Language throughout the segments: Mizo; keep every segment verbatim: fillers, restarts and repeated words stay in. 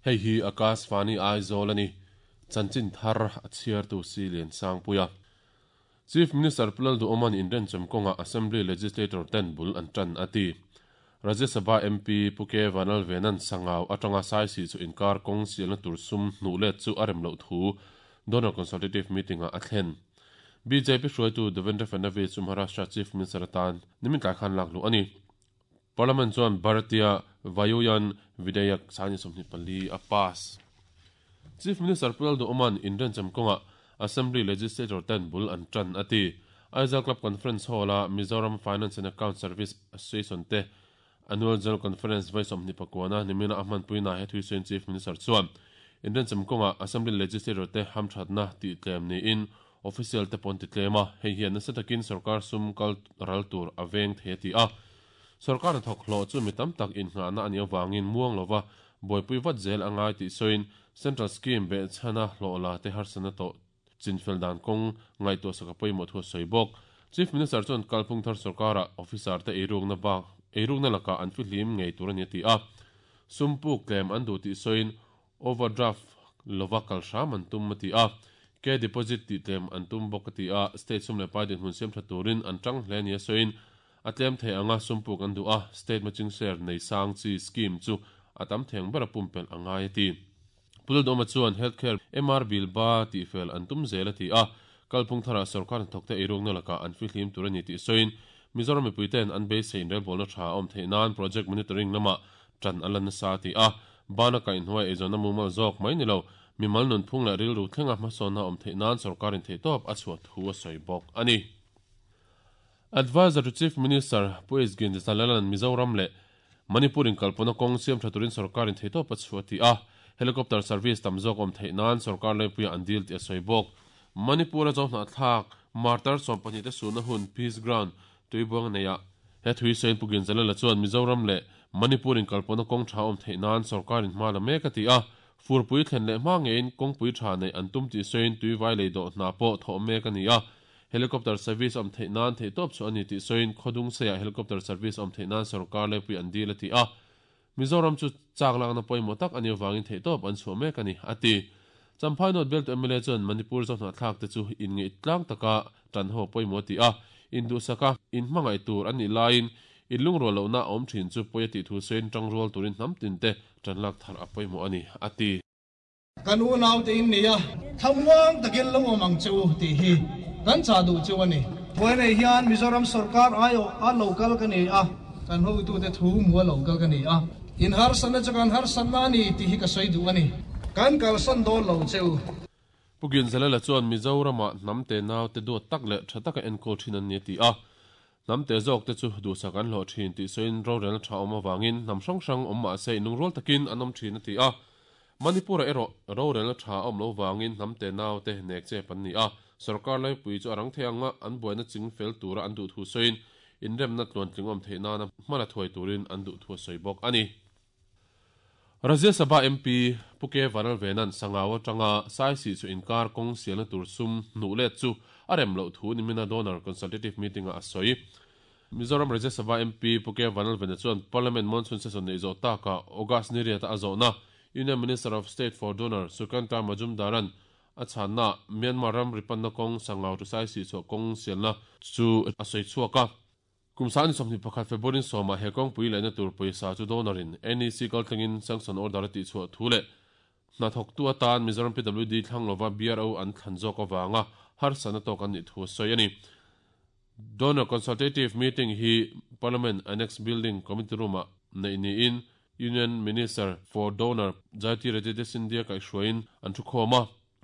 Hei hi Akashvani Aizawl ani. Chanchin thar a chhiar tu si lian sang puia. Chief Minister Pu Lalduhoma'n inrenchem kawnga Assembly Legislator ten bul an tan ati. Rajya Sabha M P Pu K Vanlalvena'n Sangau atanga Saisih chu inkar kawng sialna tur sum hnuh let chu a rem loh thu Donor Consultative Meeting-ah a thlen. B J P hruaitu Devendra Fadnavis chu Maharashtra Chief Minister atan nimin tlai khan lak luh a ni. Parliament chuan Bharatiya Vayuyan Vidheyak sangni sawmhnih pali a pass. Chief Minister Pu Lalduhoma'n inrenchem kawnga Assembly Legislator ten bul an tan a ti. Aizawl Club Conference Hall-a Mizoram Finance and Account Service Association te Annual General Conference vawi sawmhnih pakuana nimina a hmanpuina he thuisawiin Chief Minister chuan inrenchem kawnga Assembly Legislator te hamthatna tih tlem niin official te pawn ti tlem a, hei hian nasa takin sorkar sum kal ral tur a veng thei a ti a. Sorkar hnathawk hlawh chu mi tam tak innghahna a nih avangin muang lova buaipui vat zel a ngai tih sawiin Central Scheme behchhana hlawh la te harsatna tawh chinfel dan kawng ngaihtuah sak a pawimawh thu a sawi bawk. Chief Minister chuan kalphung thar sorkarah officer te eirukna bak eirukna lakah an fihlim ngei tur a ni a ti a. Sum puk tlem an duh tih sawiin overdraft lova kal hram an tum a ti a. K deposit tih tlem an tum bawk a ti a. State sum leh pai dinhmun siam tha turin an tang hle ni a sawiin a tlem thei anga sum puk an duh a, state matching share nei sang chi scheme chu a tam theng ber a pumpelh a ngai a ti. Pu Lalduhoma chuan healthcare M R bill ba tihfel an tum zel a ti a. Kalphung tharah sorkar hnathawkte eirukna lakah an fihlim tur a ni tih sawiin Mizoram mipuiten an beisei inrelbawlna tha a awm theih nan project monitoring lamah tan a la nasa a ti a. Bana kaihhnuai eizawnna mumal zawk mai ni lo, mimal nunphung leh rilru thlenga hmasawnna awm theih nan sorkarin theihtawp a chhuah thu a sawi bawk a ni. Advisor to Chief Minister Pu H Ginzalala'n Mizoram leh Manipur inkalpawhna kawng siam tha turin sorkarin theihtawp a chhuah a ti a. Helicopter service tam zawk awm theih nan sorkar laipuia an dil tih a sawi bawk. Manipur-a Zohnahthlak martyr sawm pahnih te sunna hun Peace Ground tuibuang neihah he thuisawiin Pu Ginzalala chuan Mizoram leh Manipur inkalpawhna kawng tha awm theih nan sorkarin hma la mek a ti a. Furpui thlen leh hma ngeiin kawngpui tha neih an tum tih sawiin tuivai lei dawh hna pawh thawh mek a ni a. Helicopter service awm theih nan theihtawp chu a ni tih sawiin khawdung seiah helicopter service awm theih nan sorkar laipui an dil a ti a. Mizoram chu chak lakna pawimawh tak a nih avangin theihtawp an chhuah mek a ni a ti. Champhai North bialtu M L A chuan Manipur Zohnahthlak te chu inngeih tlang taka tan ho pawimawh a ti a. Induhsaka inhmangaih tur an nih laiin inlungrual lohna a awm thin chu pawi a tih thu sawiin tangrual turin hnam tin te tan lak thar a pawimawh a ni a ti. Kan unaute in ni a, thlamuang takin lo awm ang che u tih hi kan chah duh chu a ni. Vawi nei hian Mizoram sorkar aiawh a lo kal ka ni a, kan hotute thu hmu a lo kal ka ni a. In harsatna chu kan harsatna a ni tih hi ka sawi duh a ni. Kan kalsan dawn lo che u. Pu Ginzalala chuan Mizoramah hnam te nau te duat tak leh tha taka enkawl thin an ni a ti a. Hnam te zawk te chu duhsak an hlawh thin tih sawiin rorelna tha awm avangin hnam hrang hrang awm mah se inlungrual takin an awm thin a ti a. Manipur-ah erawh rorelna tha awm lo vangin hnam te nau te nek chep an ni a. Sorkar laipui chu a rang thei anga an buaina ching fel tura an duh thu sawiin inremna tluantling awm theih nana hmala thuai turin an duh thu a sawi bawk a ni. Rajya Sabha M P Pu K Vanlalvena'n Sangau atanga Saisih chu inkar kawng sialna tur sum hnuh let chu a rem loh thu nimina Donor Consultative Meeting-ah a sawi. Mizoram Rajya Sabha M P Pu K Vanlalvena chuan Parliament monsoon session neih zawh takah August ni riata a zawhna Union Minister of State for Donor Sukanta Majumdaran a chhanna Myanmar ram ripanna kawng Sangau to Saisih chhuah kawng sialna chu a sawi chhuak a. Kum sangni sawmhnih pakhat February sawmah he kawngpui lehna tur pawisa chu donorin N E C kaltlangin sanction order a tih chhuah thu leh hnathawktu atan Mizoram P W D thlang lova B R O an thlan zawk avanga harsatna tawk an nih thu a sawi a ni. Donor Consultative Meeting hi Parliament Annex Building Committee Room-ah neih niin Union Minister for Donor Jyotiraditya Scindia kaihhruaiin an thu khawm a.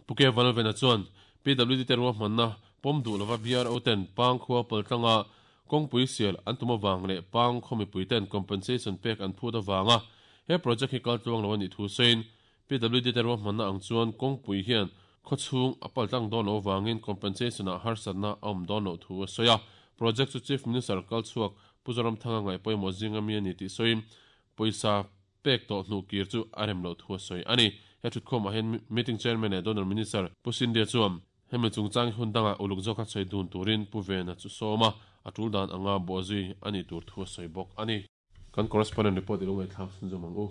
Pu K Vanlalvena chuan P W D te ruahmanna pawm duh lova B R O ten pang khua paltlanga kawngpui sial an tum awang leh pang khawmipui ten compensation pek an phut awanga he project hi kaltluang lo a nih thu sawiin P W D te ruahmanna ang chuan kawngpui hian khawchhung a paltlang dawn lo awangin compensation ah harsatna a awm dawn loh thu a sawi a. Project chu Chief Minister kalchhuak Pu Zoramthanga ngaih pawimawh zinga mi a ni tih sawiin pawisa pek tawh hnuh kir chu a rem loh thu a sawi a ni. He thutkhawmah hian meeting chairman leh Donor Minister Pu Scindia chuan hemi chungchang hi hun dangah uluk zawk a sawi dun turin Pu Vena chu sawm a, a tul dan anga bawhzui a nih tur thu a sawi bawk a ni. Kan correspondent report i lo ngaihthlak chhunzawm ang u.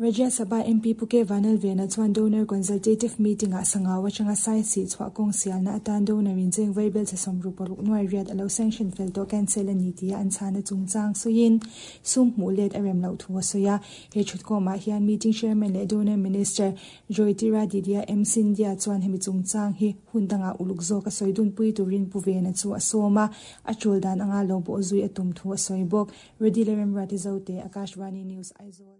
Rajya Sabha M P Puke Vanal Vena chuan donor consultative meeting a sangawa changa sai si chwa kong sialna atan donor in jeng vaibel cha somru paruk nuai riat alo sanction fel to cancel ani tia an chana chungchang soin sum mulet arem lo thu soya he chutko ma hian meeting chairman le donor minister Jyotiraditya M Scindia chuan hemi chungchang hi hundanga uluk zo ka soidun pui turin puvena chu asoma achul dan anga lo bo zui atum thu soibok Redilerem Ratizote Akashvani News Aizawl.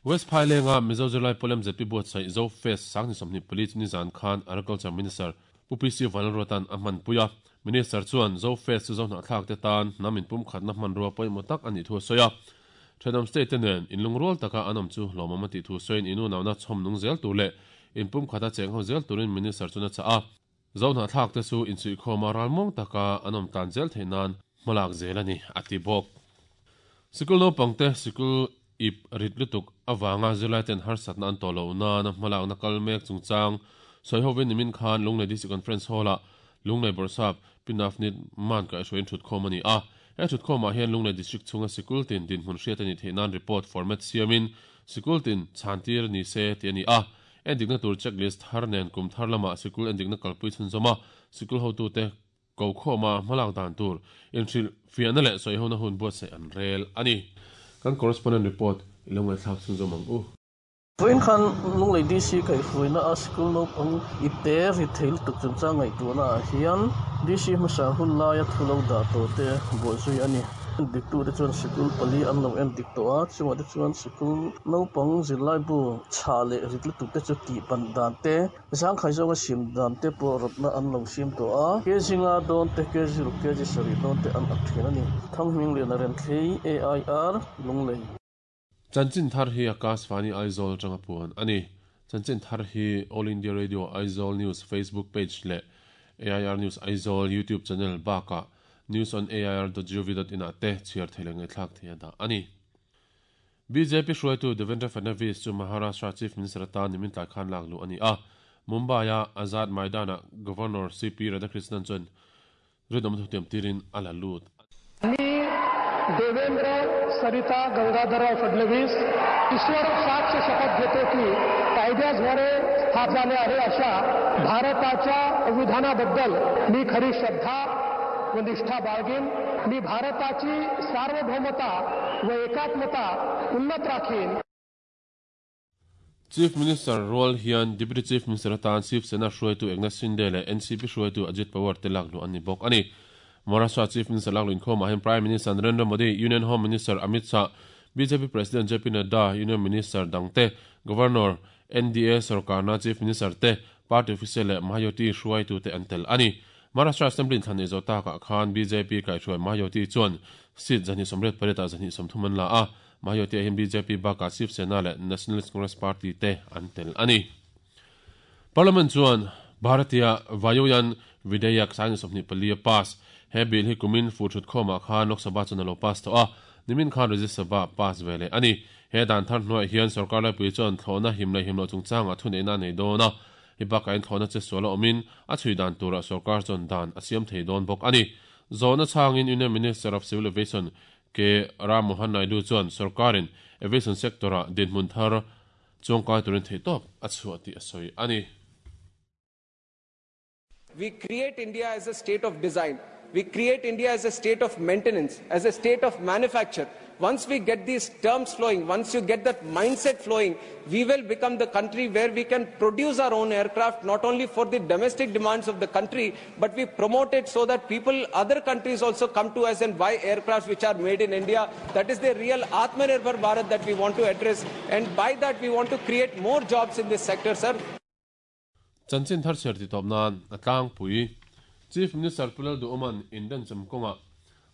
West Phailenga Mizo Zirlai Polem Z P Buat sai Zo Fest sangni somni police ni zan khan Agriculture Minister Pu P C Vanlalruatan a hman puia Minister chuan Zo Fest chu zo hna thlak te tan namin pum khatna hman rua pawimawh tak ani thu soya Thenam State nen inlungrual taka anam chu lawmawm a tih thu sawiin inu nauna chhawm nung zel tur leh inpum khata cheng ho zel turin Minister chuna cha a zo hna thlak te chu insuihkhawma ralmawng taka anam tan zel theinan hmalak zel ani a ti bawk. Sikul naupangte sikul ip ritlutuk awanga zirlai ten harsatna an tawh na na hmalak na kal mek chungchang sawihovin nimin khan Lunglei District Conference Hall-a Lunglei Borsap Pinafnit man ka hruaiin thut khawm ani a he thut khawmah hian Lunglei District chhunga sikul tin dinhmun hriat ani theih nan report format siamin sikul tin chhantir ni se ti ani a endikna tur checklist thar nen kum thar lama sikul endikna kalpui chhunzawma sikul hotu te ko khawma hmalak dan tur inhril fiahna leh sawihona hun buatsaih an rel ani. Kan correspondent report ilongai thlak chhunzawm ang u. Vawiin khan Lunglei D C kaihhruaina a sikul naupang ipte retail tuk chungchang ngaihtuahna ah hian D C hmasa hun laia thu lo dah tawh te buaizui ani. Diktu te chuan sikul pali an lo en dik tawh a chungah te chuan sikul naupang zirlai bu chha leh ritlutuk te chu tih ban dan te zangkhai zawnga sim dan te pawh rawtna an lo sim tawh a kg nga dawn te kg ruk kg sarih dawn te an ak thin ani. Thanghming lian a rem thlei A I R Lunglei. Chanchin thar hi Akashvani Aizawl tanga puan ani. Chanchin thar hi All India Radio Aizawl News Facebook page le A I R News Aizawl YouTube channel baka news on A I R dot gov dot in ate chhiar theilengai thlak theia da ani. B J P hruaitu Devendra Fadnavis chu Maharashtra Chief Minister atan nimin tlai khan lak lu ani a Mumbai a Azad Maidana Governor C P Radhakrishnan chuan ridom thutiam tirin ala lut. Devendra Sarita Gangadharrao Fadnavis ईश्वर साक्ष शपथ घेतो की कायद्याद्वारे स्थापन झाले आहे अशा भारताच्या संविधानाबद्दल मी खरी श्रद्धा व निष्ठा बाळगीन. मी भारताची सार्वभौमता व एकात्मता उन्नत Rakhine. Chief Minister Rol hian Deputy Chief Minister atan Shiv Sena hruaitu Eknath Shinde leh N C P hruaitu Ajit Pawar te lak lu ani bawk ani. Maharashtra Chief Minister lak lu inkhawmah hian Prime Minister Narendra Modi, Union Home Minister Amit Shah, B J P President J P Nadda, Union Minister dangte, Governor N D A sarkarna Chief Minister te, Party official leh Mahayuti hruaitu te an tel ani. Maharashtra Assembly thlan nei zo takah khan B J P kaihhruai Mahayuti chuan seat zahnih sawmriat pariat ah zahnih sawmthum an la a Mahayuti hian B J P bakah Shiv Sena leh Nationalist Congress Party te an tel ani. Parliament chuan Bharatiya Vayuyan Vidheyak sangni sawmhnih pali a pass he bill hi kumin fu thut khawmah khan Lok Sabha chuan a lo pass tawh a nimin khan Rajya Sabha pass ve leh ani. He dan thar hnuaiah hian sarkar laipui chuan thlawhna him leh him lo chungchangah thuneihna nei dawn a hi bakah in thlawhna che sual a awmin a chhui dan turah sarkar chuan dan a siam thei dawn bawk ani. Zawhna changin Union Minister of Civil Aviation K Ram Mohan Naidu chuan sarkarin aviation sector-ah dinhmun thar chuangkai turin thei tawp a chhuah tih a sawi ani. We create India as a state of design. We create India as a state of maintenance, as a state of manufacture. Once we get these terms flowing, once you get that mindset flowing, we will become the country where we can produce our own aircraft, not only for the domestic demands of the country, but we promote it so that people, other countries also come to us and buy aircraft which are made in India. That is the real Atmanirbhar Bharat that we want to address. And by that, we want to create more jobs in this sector, sir. Chanchin thar cher ti top nan atlang pui Chief Minister Pulal Duoman Indian Chamkonga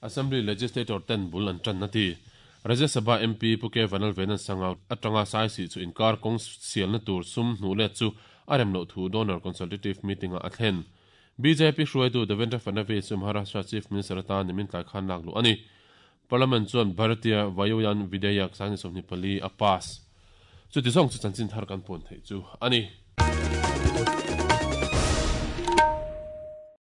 Assembly Legislator ten bul an tran na ti Rajya Sabha M P Puke Vanal Venan sanga atanga sai si chu inkar kong sial na tur sum hnu le chu arem lo thu donor consultative meeting a athen B J P hruaitu Devendra Fadnavis chu Maharashtra Chief Minister atan nimin tlai khan lak lu ani. Parliament chuan Bharatiya Vayuyan Vidheyak sangni sawmhnih pali a pass chu ti zawng chu chanchin thar kan pun thei chu ani.